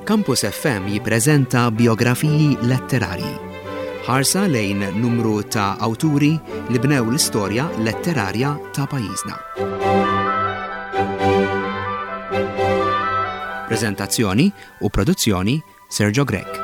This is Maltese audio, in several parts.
Campus FM jippreżenta biografiji letterarji. Ħarsa lejn numru ta' awturi li bnew l-istorja letterarja ta' pajjiżna. Preżentazzjoni u produzzjoni Sergio Grech.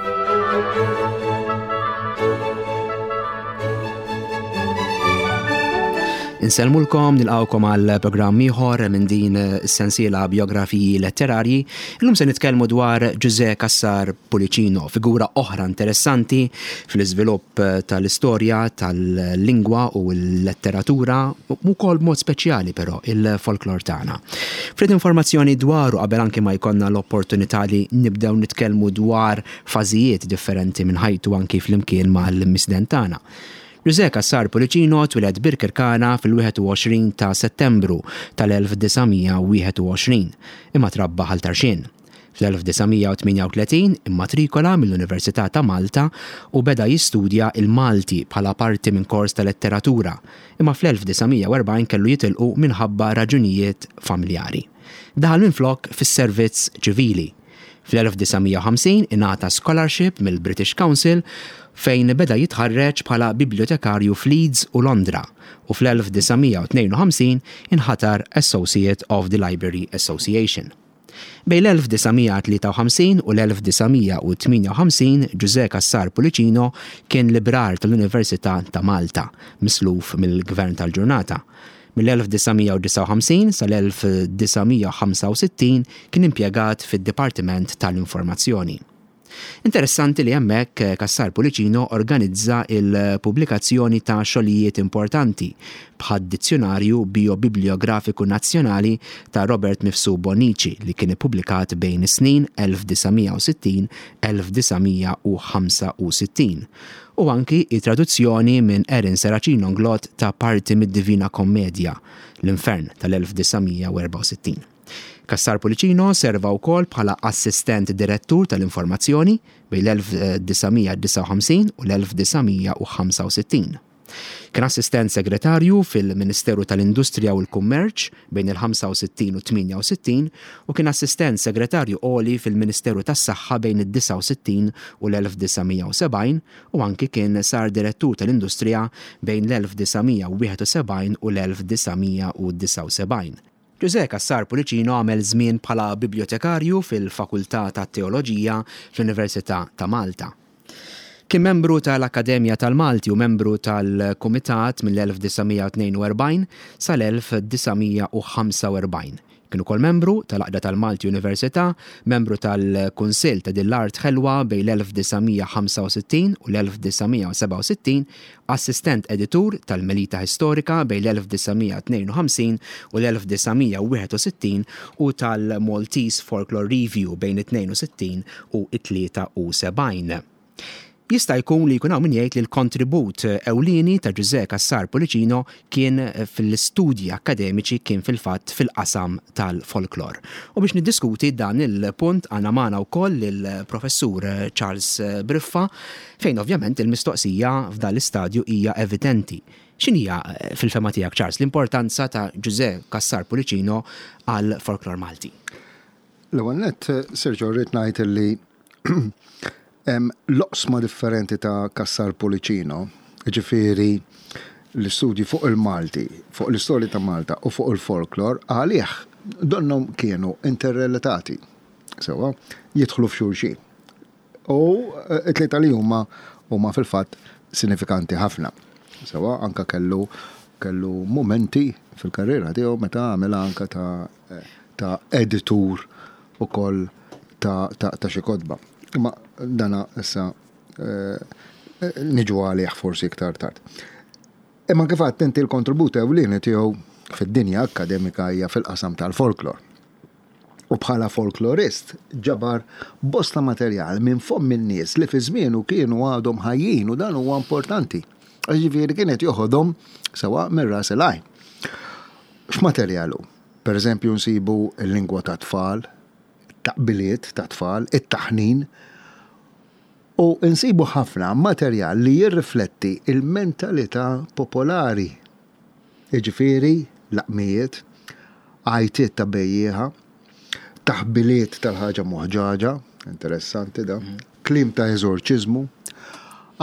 Insellmulkom, nilqawkom għal programm ieħor minn din is-sensiela biografiji letterarji. Illum se nitkellmu dwar Ġużè Cassar Pullicino, figura oħra interessanti fl-iżvilupp tal-istorja tal-lingwa u l-letteratura, u wkoll b'mod speċjali però il-folklor tagħna. Ftit informazzjoni dwaru qabel anki ma jkollna l-opportunità li nibdew nitkellmu dwar fażijiet differenti minn ħajtu anki flimkien mal-misden tagħna. Ġużè Cassar Pullicino twieled Birkirkara fil-21 ta' Settembru tal-1921, imma trabba Ħal Tarxien. Fl-1938 immatrikola mill-Università ta' Malta u beda jistudja l-Malti bħala parti minn kors ta' letteratura, imma fl-1940 kellu jitilqu minħabba raġunijiet familjari. Daħal minflok fis-servizz ċivili. Fl-1950 ingħata scholarship mill-British Council fejn beda jitħarreġ bħala bibliotekarju f'Leeds u Londra u fl-1952 inħatar Associate of the Library Association. Bejn l-1953 u l-1958 Ġużè Cassar Pullicino kien librar tal-Università ta' Malta, misluf mill-Gvern tal-ġurnata. Mill-1959 sal-1965 kien impjegat fid-Dipartiment tal-Informazzjoni. Interessanti li hemmhekk Cassar Pullicino organizza l-pubblikazzjoni ta' xogħlijiet importanti bħad-Dizzjunarju Bijobibliografiku Nazzjonali ta' Robert Mifsud Bonnici li kien ippubblikat bejn is-snin 1960 1965 u anki t-traduzzjoni minn Erin Serracino Inglott ta' parti mid-Divina Commedia, L-Infern tal-1964. Cassar Pullicino serva wkoll bħala Assistent Direttur tal-Informazzjoni bejn l-1959 u l-1965. Kien Assistent Segretarju fil-Ministeru tal-Industrija u l-Kummerċ bejn il-65 u t-68 u kien Assistent Segretarju Għoli fil-Ministeru tas-Saħħa bejn id-69 u l-1970 u anki kien sar Direttur tal-Industrija bejn l-1971 u l-1979. Ġużè Cassar Pullicino għamel żmien bħala bibljotekarju fil-Fakultà tat-Teoloġija fl-Università ta' Malta. Kien membru tal-Akkademja tal-Malti u membru tal-Kumitat mill-1942 sal-1945. Kien ukoll membru tal-Għaqda tal-Malti Università, membru tal-Kunsill ta' Din l-Art Ħelwa bejn l-1965 u l-1967, assistent editur tal-Melita Historica bejn l-1952 u l-1961 u tal-Maltese Folklore Review bejn it-62 u t-73. Jista' jkun li jkun hawn min jgħid li l-kontribut ewlieni ta' Ġużè Cassar Pullicino kien fl-istudji akkademiċi kien fil-fatt fil-qasam tal-folklor. U biex niddiskuti dan il-punt għandna magħna wkoll lill-Professur Charles Briffa fejn ovvjament il-mistoqsija f'dan l-istadju hija evidenti. X'inhija fil-fehma tiegħek Charles l-importanza ta' Ġużè Cassar Pullicino għall-folklor Malti? L-ewwel nett, Sergio, rrid ngħid li l-oqsma differenti ta' Cassar Pullicino, jiġifieri l-istudji fuq il-Malti, fuq l-istorja ta' Malta u fuq il-folklor, għalih donnhom kienu interrelatati, sewwa, jidħlu f'xulxin. U t-tlieta li huma huma fil-fatt sinifikanti ħafna. Sewwa, anke kellu kellu mumenti fil-karriera tiegħu meta għamilha anke ta' ta' editur ukoll ta' ta' xi kotba. Imma dana issa niġu għalih forsi iktar tard. Imma kif għedt inti l-kontribut ewlieni tiegħu fid-dinja akkademika hija fil-qasam tal-folklor. U bħala folklorist ġabar bosta materjal minn fomm in-nies li fi żmienu kienu għadhom ħajjin u dan huwa importanti. Ġifieri kien qed joħodhom sewa minn ras il-għajn. X'materjal hu? Per eżempju nsibu l-lingwa tat-tfal, it-taqbiliet tat-tfal, it-taħnin u nsibu ħafna materjal li jirrifletti l-mentalità popolari. Jiġifieri laqmijiet, għajtiet ta' bejjiegħa, taħbiliet tal-ħaġa moħġaġa. interessanti da, kliem ta' eżorċiżmu,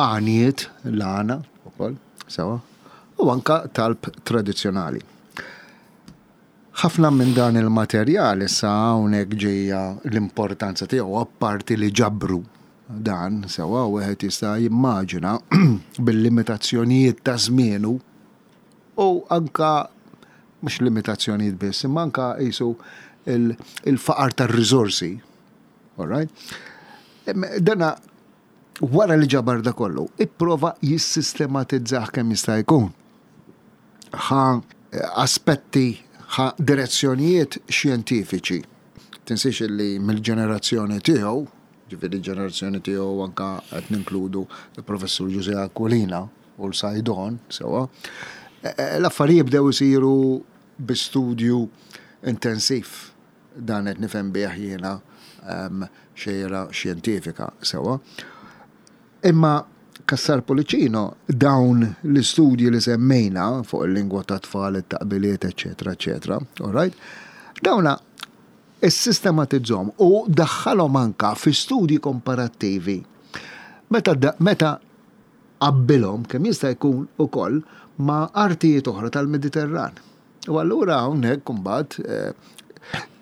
għaniet, l-għana ukoll, sewa, u anka talb tradizzjonali. Ħafna minn dan il-materjal issa hawnhekk ġejja l-importanza tiegħu apparti li ġabru dan sewwa wieħed jista' jimmaġina bil-limitazzjonijiet ta' żmienu u anka mhux limitazzjonijiet biss, imma anka qisu il-faqar tar-riżorsi. All right? Dana wara li ġabar da kollu, ipprova jissistematizzah kemm jista' jkun. Ħa aspetti, ħa direzzjonijiet xjentifiċi. Tinsiex li mill-ġenerazzjoni tiegħu, ġifieri ġenerazzjoni tiegħu anka qed ninkludu l-Professur Ġużè Aquilina u l-Saydon, sewwa, l-affarijiet bdew isiru bi studju intensiv. Dan qed nifhem bih jiena xejra xjentifika, sewwa. Imma Cassar Pullicino dawn l-istudji li semmejna fuq il-lingwa tat-tfal, it-taqbiliet, eċċetera, eċċetera, all right? Dawna issistematizzhom u daħħalhom anka fi studji komparattivi. Meta meta qabbilhom kemm jista' jkun ukoll ma' artijiet oħra tal-Mediterran. U allura hawnhekk imbagħad eh,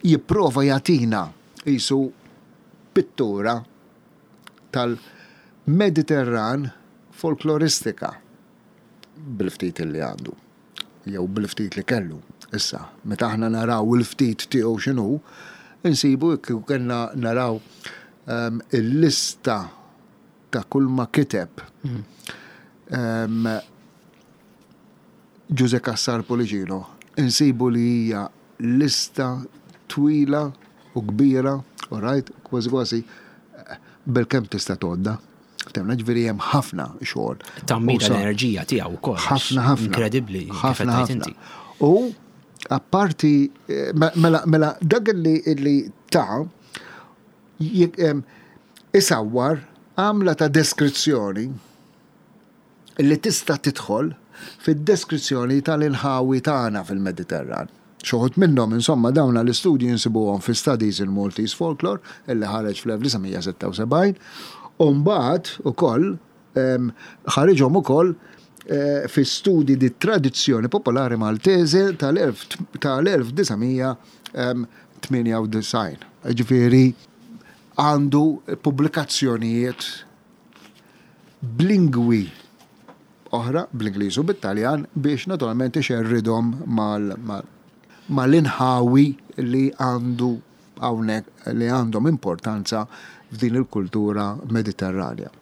jipprova jagħtina qisu pittura tal-Mediterran folkloristika bil-ftit li għandu, jew bil-ftit li kellu. Issa, meta aħna naraw il-ftit tiegħu x'inhu, insibu kieku kellna naraw ehm, il-lista ta' kull ma kiteb ehm, Ġużè Cassar Pullicino, insibu li hija lista twila u kbira, all right, kważi kważi bilkemm tista' tgħoddha. Ftemna ġifieri hemm ħafna xogħol. Tammira l-enerġija tiegħu wkoll. Ħafna ħafna. Inkredibbli. Ħafna ħafna. U apparti mela mela dak li li ta' isawwar għamla ta' deskrizzjoni li tista' tidħol fid-deskrizzjoni tal-inħawi tagħna fil-Mediterran. Xi wħud minnhom, insomma, dawn l-istudji nsibuhom fi Studies in Maltese Folklore illi ħareġ fl-1976 u mbagħad ukoll ħariġhom ukoll fi Studi di Tradizione Popolare Maltese tal-1998. Jiġifieri għandu pubblikazzjonijiet b'lingwi oħra, bl-Ingliż u bit-Taljan, biex naturalment ixerridhom mal-inħawi li għandu hawnhekk li għandhom importanza f'din il-kultura Mediterranja.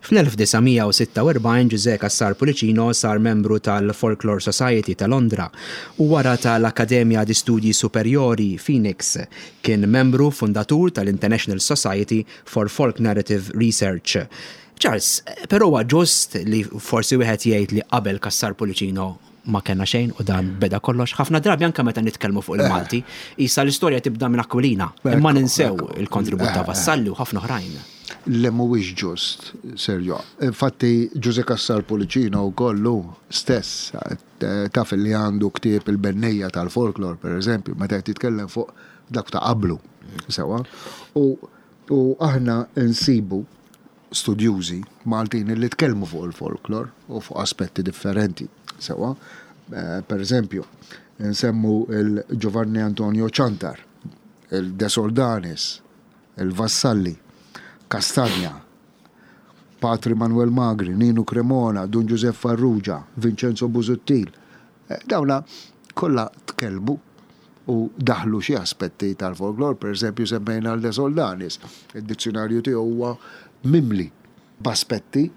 Fl-1946 Ġużè Cassar Pullicino sar membru tal-Folklore Society ta' Londra u wara tal-Accademia di Studi Superiori, Phoenix. Kien membru fundatur tal-International Society for Folk Narrative Research. Charles, però huwa ġust li forsi wieħed jgħid li qabel Cassar Pullicino ma kellna xejn u dan beda kollox. Ħafna drabi anke meta nitkellmu fuq il-Malti, isa l-istorja tibda minn Aquilina, imma ninsew il-kontribut ta' Vassalli u ħafna oħrajn. Le mhuwiex ġust, Sergio. Infatti Ġużè Cassar Pullicino wkoll hu stess taf li għandu ktieb il-Bennejja tal-Folklor, pereżempju, meta qed jitkellem fuq dak ta' qablu. Sewwa. U U aħna nsibu studjużi Maltin li tkellmu fuq il-folklor u fuq aspetti differenti. Sewwa, per eżempju, nsemmu il-Giovanni Antonio Ciantar, il-De Soldanis, il-Vassalli, Castagna, Patri Manuel Magri, Ninu Cremona, Dun Giuseppe Farrugia, Vincenzo Busuttil. Dawna kollha tkellmu u daħlu xi aspetti tal-folklor, pereżempju semmejna l De Soldanis, id-dizzjunarju tiegħu huwa mimli b'aspetti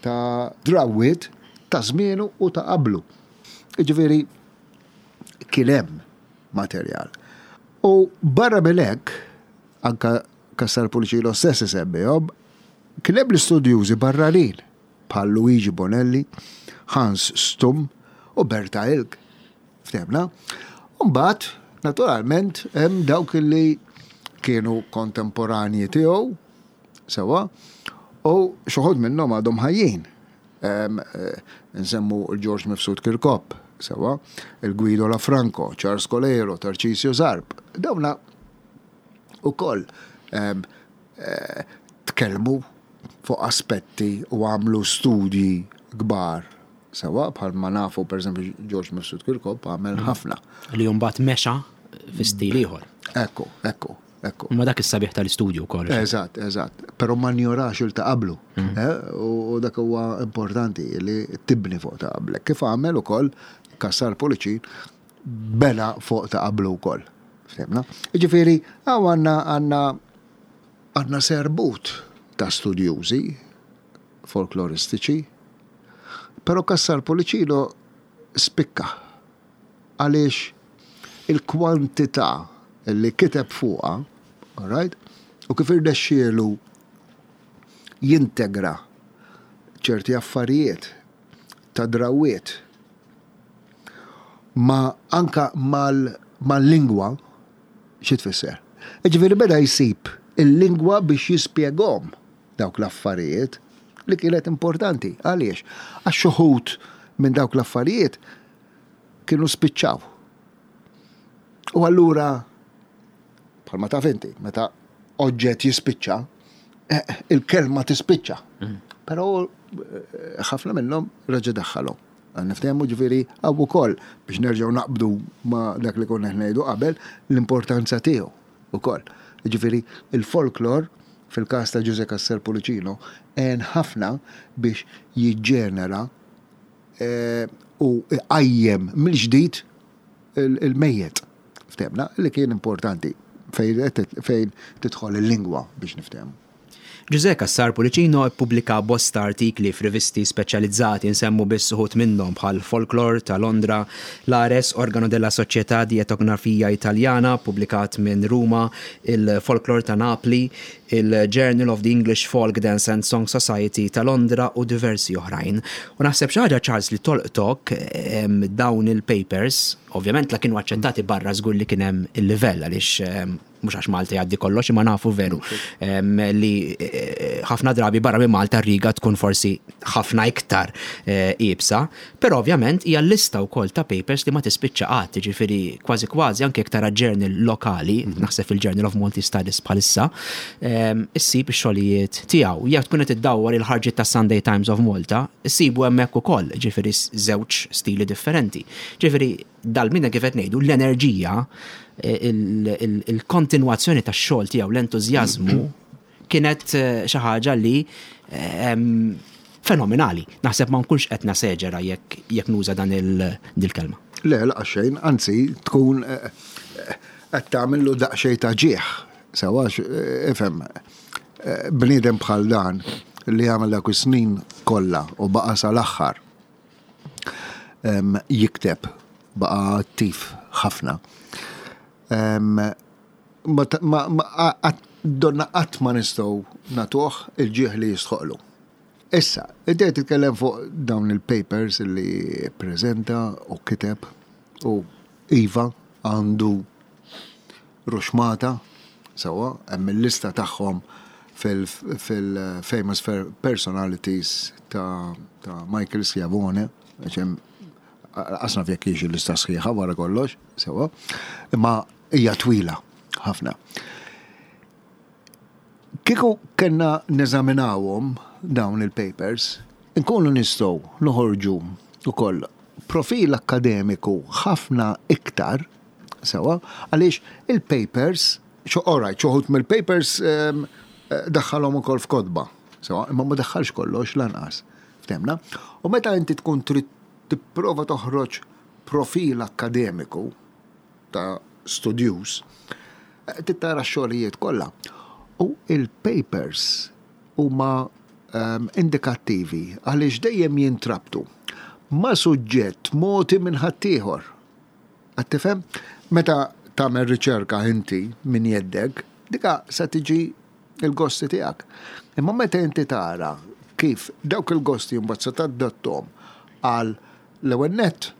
ta' drawwiet ta' żmienu u ta' qablu. Jiġifieri kien hemm materjal. U barra minn hekk, anke Cassar Pullicino stess isemmihom, kien hemm l-istudjużi barranin bħal Luigi Bonelli, Hans Stumm u Berta Ilg. Ftehmna? U mbagħad, naturalment, hemm dawk li kienu kontemporanji tiegħu, sewwa, u xi wħud minnhom għadhom ħajjin. Eh, nsemmu l-George Mifsud Kirkop, sewwa, il-Guido Lafranco, Charles Coleiro, Tarcisio Zarb. Dawna ukoll. tkellmu fuq aspetti u għamlu studji kbar sewwa bħalma nafu pereżempju George Mifsud Kirkop għamel ħafna. Li mbagħad mexa fi stil ieħor. Ekku, ekku, ekku. Ma dak is-sabiħ tal-istudju wkoll. Eżatt, eżatt. Però ma njorax il ta' qablu. U dak huwa importanti li tibni fuq ta' qablek. Kif għamel ukoll Cassar Pullicin bena fuq ta' qablu wkoll. Ftemna? Jiġifieri hawn għandna għandna għandna serbut ta' studjużi folkloristiċi, però Cassar Pullicino spikka għaliex il-kwantità li kiteb fuqha, all right, u kif irnexxielu jintegra ċerti affarijiet ta' drawwiet ma anka mal-lingwa, xi tfisser? Jiġifieri beda jsib il-lingwa biex jispjegahom dawk l-affarijiet li kienet importanti. Għaliex? Għax xi wħud minn dawk l-affarijiet kienu spiċċaw. U allura, bħalma taf inti, meta oġġett jispiċċa, eh, il-kelma tispiċċa. Però eh, ħafna minnhom reġa' daħħalhom. Niftehmu ġifieri hawn ukoll biex nerġgħu naqbdu ma' dak li konna qed ngħidu qabel l-importanza tiegħu ukoll. Ġifieri il-folklor fil-każ ta' Ġużè Cassar Pullicino għen ħafna biex jiġġenera u iqajjem mill-ġdid il-mejjet. Ftehmna li kien importanti fejn tidħol il-lingwa biex niftehmu. Ġużè Cassar Pullicino ppubblika bosta artikli f'rivisti speċjalizzati, insemmu biss uħud minnhom bħal Folklore ta' Londra, L'Ares, Organo della Società di Etnografia Italiana, ppubblikat minn Ruma, il-Folklore ta' Napli, il-Journal of the English Folk Dance and Song Society ta' Londra u diversi oħrajn. U naħseb xi ħaġa Charles li tolqtok dawn il-papers, ovvjament la kienu aċċettati barra żgur li kien hemm il-livell għaliex mhux għax Malta jgħaddi kollox imma nafu veru li ħafna drabi barra minn Malta r-riga tkun forsi ħafna iktar iebsa, però ovvjament hija lista wkoll ta' papers li ma tispiċċa qatt, jiġifieri kważi kważi anke jekk tara journal lokali, naħseb fil-Journal of Maltese Studies bħalissa, issib ix-xogħlijiet tiegħu. Jekk tkun qed iddawwar il-ħarġiet tas-Sunday Times of Malta, issibu hemmhekk ukoll, jiġifieri żewġ stili differenti. Ġifieri dal-bniedem kif qed ngħidu, l-enerġija, il-kontinwazzjoni tax-xogħol tiegħu, l-entużjażmu kienet xi ħaġa li fenomenali. Naħseb ma nkunx qed naseġera jekk jekk nuża dan il-kelma. Le, laqas xejn, anzi tkun qed tagħmillu daqsxejn ta' ġieħ. Sewa ifhem, bniedem bħal dan li għamel dak is-snin kollha u baqa' sal-aħħar jikteb, baqa' attiv ħafna. Donna qatt ma nistgħu nagħtuh il-ġieħ li jistħoqlu. Issa, inti qed titkellem fuq dawn il-papers li ppreżenta u kiteb u iva għandu ruxmata, sewwa, hemm il-lista tagħhom fil-Famous Personalities ta' Michael Schiavone, għax hemm qas naf jekk hix il-lista sħiħa wara kollox, sewwa, imma hija twila ħafna. Kieku kellna neżaminawhom dawn il-papers, inkunu nistgħu noħorġu wkoll profil akkademiku ħafna iktar Sewa, għaliex il-papers, all right, xoħut mill-papers ehm, eh, daħħalhom ukoll f'kotba. Sewa, imma ma daħħalx kollox lanqas. Ftemna? U meta inti tkun trid tipprova toħroġ profil akkademiku ta' studjuż, eh, tittara x-xogħlijiet kollha. U il-papers huma ehm, indikattivi għaliex dejjem jintrabtu ma' suġġett mogħti minn ħaddieħor. Qed tifhem? Meta tagħmel riċerka inti minn jeddek, dika se tiġi il-gosti tiegħek. Imma meta inti tara kif dawk il-gosti mbagħad se tadattom għal l-ewwel nett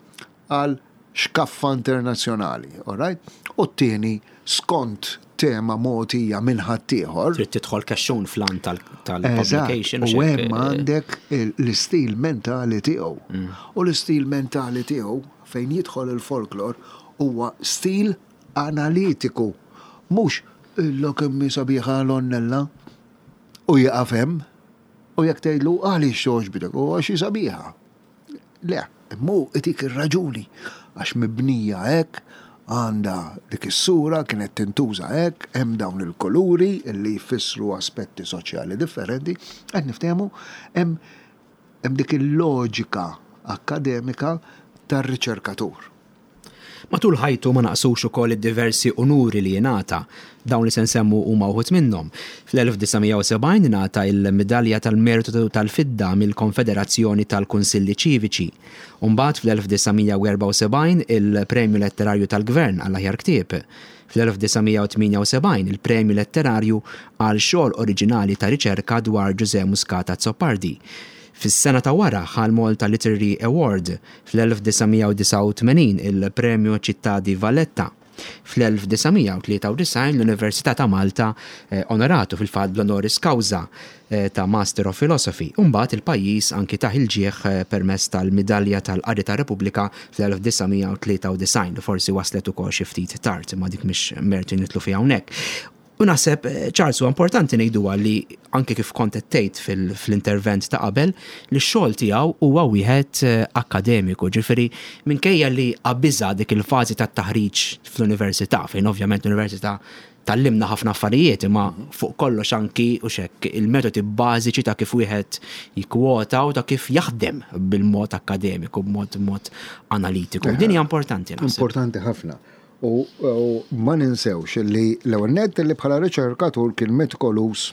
għal xkaffa internazzjonali, all right? U t-tieni skont tema mogħtija minn ħaddieħor. Trid tidħol kexxun fl-għan tal-publication. U hemm għandek l-istil mentali tiegħu. U l-istil mentali tiegħu fejn jidħol il-folklor huwa stil analitiku, mhux. Illa kemm hi sabiħa l-għonnella. U jieqaf hemm. U jekk tgħidlu għaliex togħġbitek, u għax hi sabiħa. Le, imma hu itik ir-raġuni għax mibnija hekk, għandha dik is-sura, kienet tintuża hekk, hemm dawn il-kuluri li jfissru aspetti soċjali differenti, qed niftehmu hemm hemm dik il-loġika akkademika tar-riċerkatur. Matul ħajtu ma naqsux ukoll id-diversi unuri li ingħata. Dawn li se nsemmu huma wħud minnhom. Fl-1970 ingħata il-Midalja tal-Mertu tal-Fidda mill-Konfederazzjoni tal-Kunsilli Ċiviċi. U mbagħad fl-1974 il-Premju Letterarju tal-Gvern għall-Aħjar Ktieb. Fl-1978 il-Premju Letterarju għal xogħol oriġinali ta' riċerka dwar Ġużè Muscat Azzopardi. Fis-sena ta' wara ħa l-Malta Literary Award. Fl-1989 il-Premju Città di Valletta. Fl-1993 l-Università ta' Malta onoratu fil-fatt bl-honoris causa ta' Master of Philosophy u mbagħad il-pajjiż anki tah il-ġieħ permezz tal-Midalja tal-Qari tar-Repubblika fl-1993 li forsi waslet ukoll xi ftit tard imma dik mhix mertu nidħlu fiha hawnhekk. U naħseb, Charles, huwa importanti ngħiduha li anke kif kont qed tgħid fl-intervent ta' qabel, li x-xogħol tiegħu huwa wieħed akkademiku, ġifieri minkejja li qabiżha dik il-fażi tat-taħriġ fl-università, fejn ovvjament l-università tgħallimna ħafna affarijiet, imma fuq kollox anki u x'hekk il-metodi bażiċi ta' kif wieħed jikkwota u ta' kif jaħdem bil-mod akkademiku, b'mod mod analitiku. Din hija importanti naħseb. Importanti ħafna. U ma ninsewx li l-ewwel nett li bħala riċerkatur kien metikoluż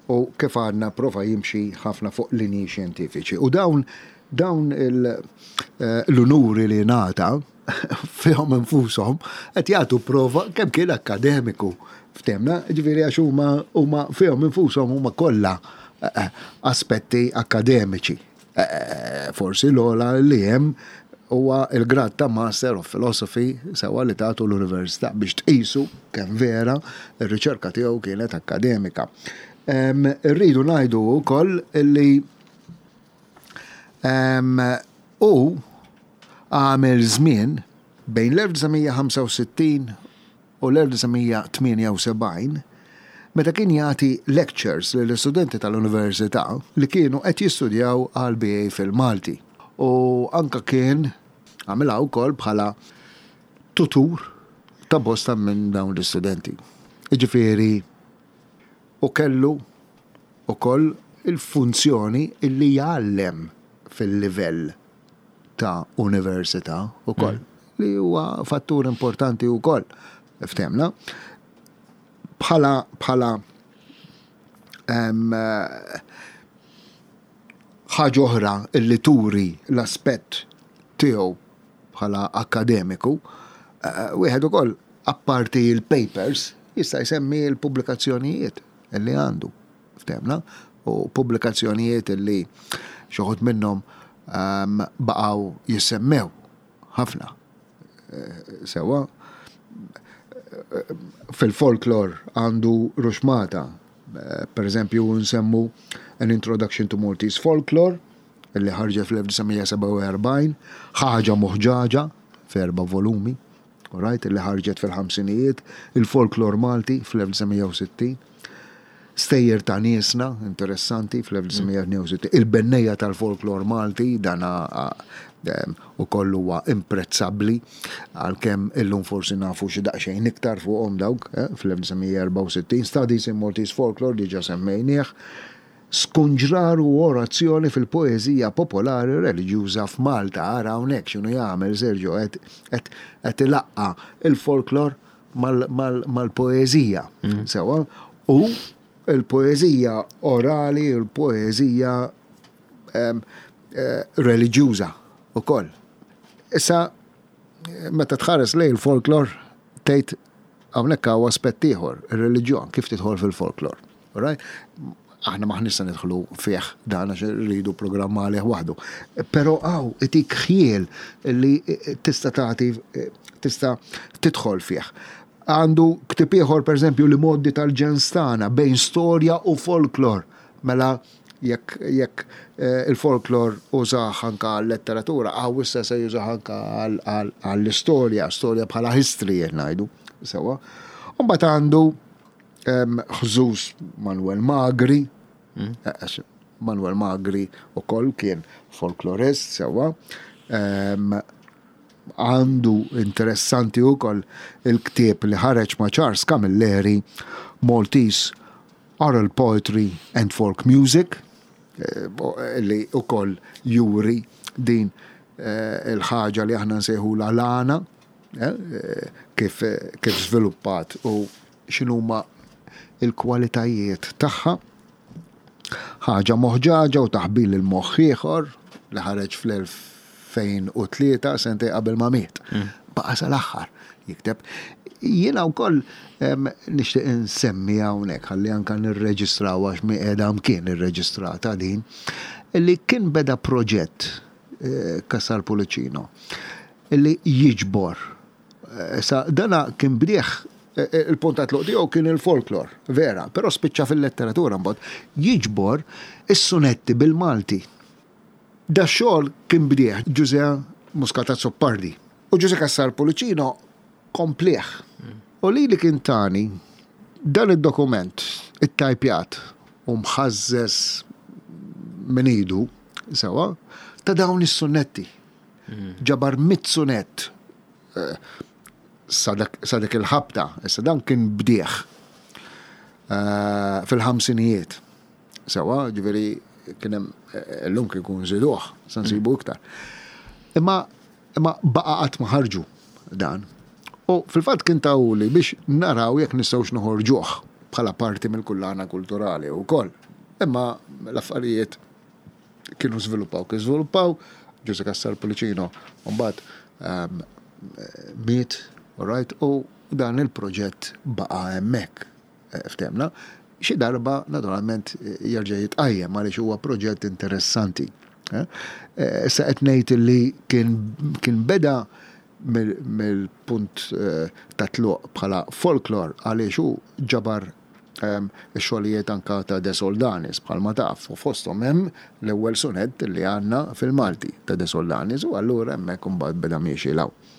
u kif għadna prova jimxi ħafna fuq linji xjentifiċi. U dawn dawn l-unuri li ngħata fihom infushom qed jagħtu prova kemm kien akkademiku ftemna, ġifieri għax huma huma fihom infushom huma kollha aspetti akkademiċi. Forsi l-ogħla li hemm huwa l-grad ta' Master of Philosophy sewwa li tagħtu l-università biex tqisu kemm vera r-riċerka tiegħu kienet akkademika. Irridu ngħidu wkoll li hu għamel żmien bejn l-1965 u l-1978 meta kien jagħti lectures lill-istudenti tal-Università li kienu qed jistudjaw għall-BA fil-Malti u anke kien għamilha wkoll bħala tutur ta' bosta minn dawn l-istudenti. Jiġifieri u kellu wkoll il-funzjoni li jgħallem fil-livell ta' università wkoll, li huwa fattur importanti wkoll, ftehmna. Bħala bħala ħaġa oħra li turi l-aspett tiegħu bħala akkademiku, eh, wieħed ukoll apparti l-papers jista' jsemmi l-pubblikazzjonijiet li għandu. Ftehmna, u pubblikazzjonijiet li xi wħud minnhom ehm, baqgħu jissemmew ħafna. Eh, sewwa, fil-folklor għandu ruxmata, eh, per eżempju nsemmu An Introduction to Maltese Folklore, li ħarġet fl-1947, ħaġa moħġaġa f'erba' volumi. Alright, li ħarġet fil-ħamsinijiet, il-folklor Malti fl-1960, Stejjer ta' niesna, interessanti, fl-1962, il-bennejja tal-folklor Malti, dan ukoll huwa imprezzabbli, għalkemm illum forsi nafu xi daqsxejn iktar fuqhom dawk, eh, fl-1964, Studies in Maltese Folklore diġà semmejnieh, Skunġrar u orazzjoni fil-poeżija popolari reliġjuża f'Malta. Ara hawnhekk x'inhu jagħmel Sergio qed qed qed ilaqqa' il-folklor mal-poeżija. Sewwa? U l-poeżija orali u l-poeżija reliġjuża wkoll. Issa meta tħares lejn il-folklor tgħid hawnhekk hawn aspett ieħor, ir-reliġjon kif tidħol fil-folklor. Alright? Aħna m'aħniex se nidħlu fih dan għax irridu programm għalih waħdu. Però hawn itik ħjiel li tista' tagħti tista' tidħol fih. Għandu ktieb ieħor pereżempju li moddi tal-ġens tagħna bejn storja u folklor. Mela jekk jekk eh, il-folklor użah anka għal-letteratura, hawn issa se jużah anka għall-istorja, storja bħala history qed ngħidu. Sewwa. U mbagħad għandu. Ħżuż Manuel Magri, mm. Manuel Magri ukoll kien folklorist sewwa. Għandu interessanti ukoll il-ktieb li ħareġ ma' Charles Camilleri Maltese Oral Poetry and Folk Music eh, li ukoll juri din eh, il-ħaġa li aħna nsejħula l-għana eh, kif, kif żviluppat u x'inhuma il-kwalitajiet tagħha. Ħaġa moħġaġa u taħbil il-moħħ ieħor li ħareġ fl-2003 sentej qabel ma miet. Mm. Baqa sal-aħħar jikteb. Jiena wkoll nixtieq insemmi hawnhekk ħalli anka nirreġistraw għax mi qiegħda mkien irreġistrata din li kien beda proġett eh, Cassar Pullicino li jiġbor Issa, dana kien bdieh, il-punt ta' tluq tiegħu kien il-folklor, vera, però spiċċa fil-letteratura mbagħad, jiġbor is-sunetti bil-Malti. Dax-xogħol kien bdieh Ġużè Muscat Azzopardi u Ġużè Cassar Pullicino komplieh. U lili kien tani dan id-dokument ittajpjat u mħażżeż minn idu, sewwa, ta' dawn is-sunetti. Ġabar mit-sunett eh, sa dik il-ħabta, issa dan kien bdieħ eh, fil-ħamsinijiet. Sewa, ġifieri kien hemm eh, illum kien kun żiduh, sa nsibu iktar. Imma imma baqa' qatt ma ħarġu dan. U fil-fatt kien tawli biex naraw jekk nistgħux noħorġuh bħala parti mill-kullana kulturali wkoll. Imma l-affarijiet kienu żviluppaw kif żviluppaw, Ġużè Cassar Pullicino mbagħad ehm, miet, all right, u dan il-proġett baqa' hemmhekk, eh, ftemna. Xi darba naturalment jerġa' jitqajjem għaliex huwa proġett interessanti. Eh? Eh, issa qed ngħid li kien, kien beda mill-punt ta' tluq bħala folklor għaliex hu ġabar ix-xogħlijiet anke ta' De Soldanis bħalma taf u fosthom hemm l-ewwel sunett li għandna fil-Malti ta' De Soldanis u allura hemmhekk imbagħad beda miexi 'l hawn.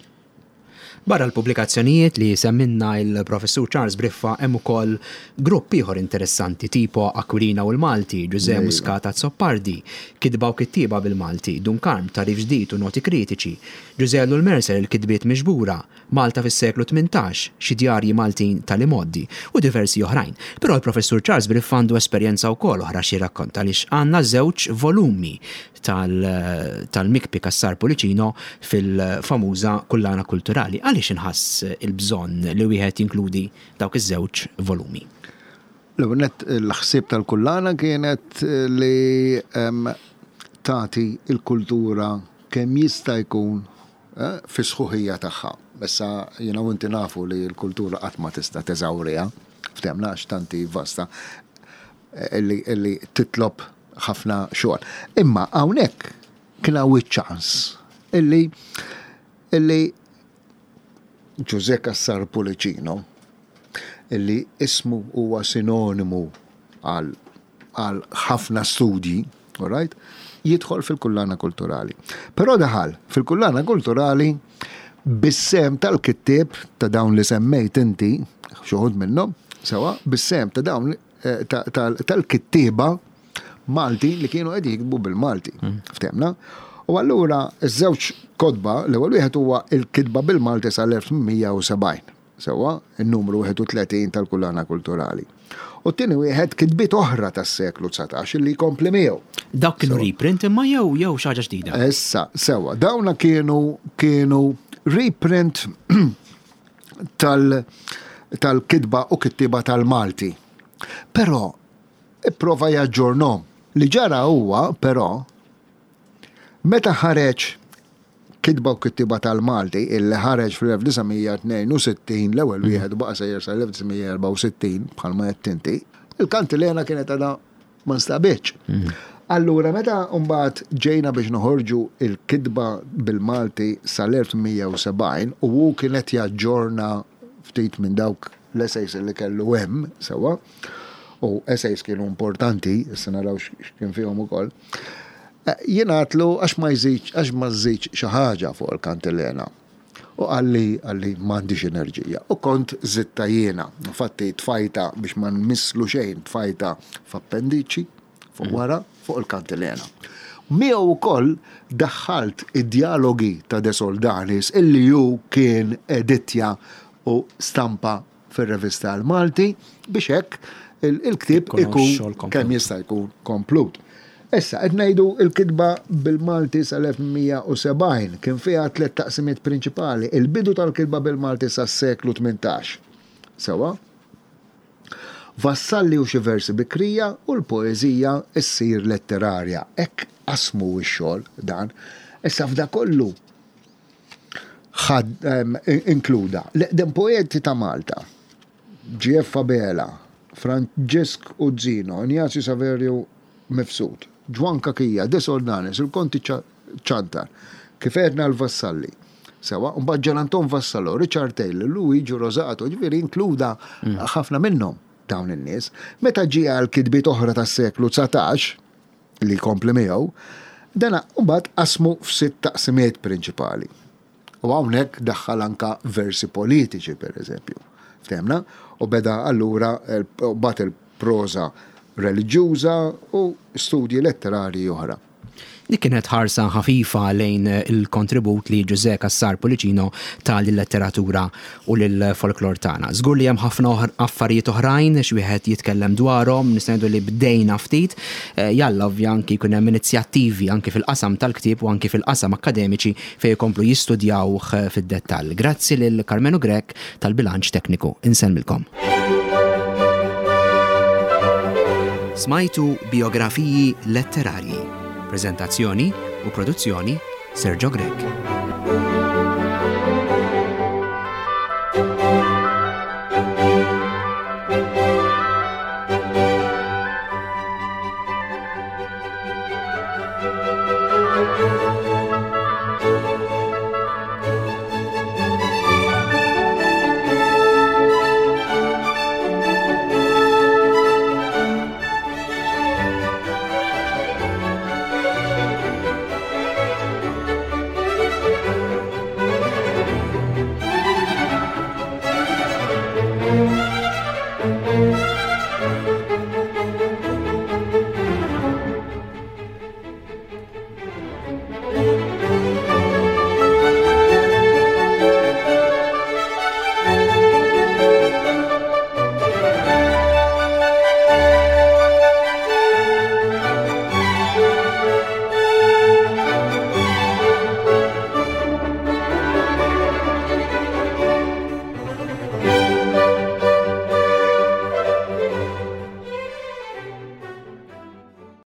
Barra l-pubblikazzjonijiet li semmilna il-Professur Charles Briffa hemm ukoll grupp ieħor interessanti tipo Aquilina u l-Malti, Ġużè Muscat Azzopardi, Kitba u Kittieba bil-Malti, Dun Karm, Tagħrif Ġdid u Noti Kritiċi, Ġużè Ellul Mercer Il-Kitbiet Miġbura, Malta fis-seklu 18, xi djarji Maltin tal-imgħoddi, u diversi oħrajn. Però l-Professur Charles Briffa għandu esperjenza wkoll oħra x'jirrakkonta għaliex għandna żewġ volumi tal-Mikpi Cassar Pullicino fil-famuża Kullana Kulturali. Għaliex inħass il-bżonn li wieħed jinkludi dawk iż-żewġ volumi? L-ewwel nett il-ħsieb tal-kullana kienet li tagħti l-kultura kemm jista' jkun fis-sħuħija tagħha. Issa jiena u inti nafu li l-kultura qatt ma tista' teżawriha, ftehmna għax tant hi vasta illi titlob ħafna xogħol. Imma hawnhekk kien hawn iċ-ċans illi illi Ġużè Cassar Pullicino illi ismu huwa sinonimu għal għal ħafna studji, all right, jidħol fil-kullana kulturali. Però daħal fil-kullana kulturali bis-sehem tal-kittieb ta' dawn li semmejt inti, xi wħud minnhom, sewa, bis-sehem ta' dawn eh, tal-kittieba Malti li kienu qed jiktbu bil-Malti. Mm. Ftemna? U allura iż-żewġ kotba, l-ewwel wieħed huwa il-kitba bil-Malti sal-1870. Sewwa, in-numru 31 tal-Kullana Kulturali. U t-tieni wieħed kitbiet oħra tas-seklu 19 li jkompli miegħu. Dawk kienu reprint imma jew jew xi ħaġa ġdida? Issa, sewwa, dawna kienu kienu reprint tal tal-kitba u kittieba tal-Malti. Però ipprova jaġġornhom. Li ġara huwa, però, meta ħareġ Kitba u Kittieba tal-Malti, illi ħareġ fl-1962, l-ewwel wieħed u baqa' sejjer sal-1964, bħalma għedt inti, il-kantilena kienet għadha ma nstabitx. Allura meta mbagħad ġejna biex noħorġu il-kitba bil-Malti sal-1870 u hu kien qed jaġġorna ftit minn dawk l-essays li kellu hemm sewwa, u essays kienu importanti, issa naraw x'kien fihom ukoll. Jien għadtlu għax ma jżidx għax ma żżidx xi ħaġa fuq il-kantilena. U qalli, qalli m'għandix enerġija. U kont żidtha jiena. Infatti tfajtha biex ma nmisslu xejn, tfajtha f'appendiċi fuq wara, fuq il-kantilena. Miegħu wkoll daħħalt id-djalogi ta' De Soldanis illi hu kien editja u stampa fir-revista El-Malti biex hekk il-ktieb ikun kemm jista' jkun komplut. Issa, qed ngħidu l-kitba bil-Malti sal-1870 kien fiha tlett taqsimiet prinċipali, il-bidu tal-kitba bil-Malti sas-seklu 18. Sewwa? Vassalli u xi versi bikrija u l-poeżija ssir letterarja. Hekk qasmu x-xogħol dan. Issa f'da kollu ħad inkluda l-eqdem poeti ta' Malta, GF Abela, Franġisk Uzzino, Injazju Saverju Mifsud, Ġwann Cachia, De Soldanis, il-Konti Ciantar, kif għedna l-Vassalli, sewwa, u mbagħad Ġan Anton Vassallo, Richard Taylor, Luigi Rosato, ġifieri inkluda ħafna minnhom dawn in-nies. Meta ġie għal kitbiet oħra tas-seklu 19, li jkompli miegħu, dan mbagħad qasmu f'sitt taqsimiet prinċipali. U hawnhekk daħħal anka versi politiċi, per eżempju. Ftemna? U beda allura mbagħad il-proża reliġjuża u studji letterarji oħra. Dik kienet ħarsa ħafifa lejn il-kontribut li Ġużè Cassar Pullicino ta lil-letteratura u lill-folklor tagħna. Żgur li hemm ħafna affarijiet oħrajn x'wieħed jitkellem dwarhom, nistgħu ngħidu li bdejna ftit. Eh, jalla ovvja anki jkun hemm inizjattivi anki fil-qasam tal-ktieb u anki fil-qasam akkademiċi fejn jkomplu jistudjawh fid-dettall. Grazzi lil Karmenu Grech tal-bilanċ tekniku. Insellmilkom. Smajtu Bijografiji Letterarji. Preżentazzjoni u produzzjoni Sergio Grech.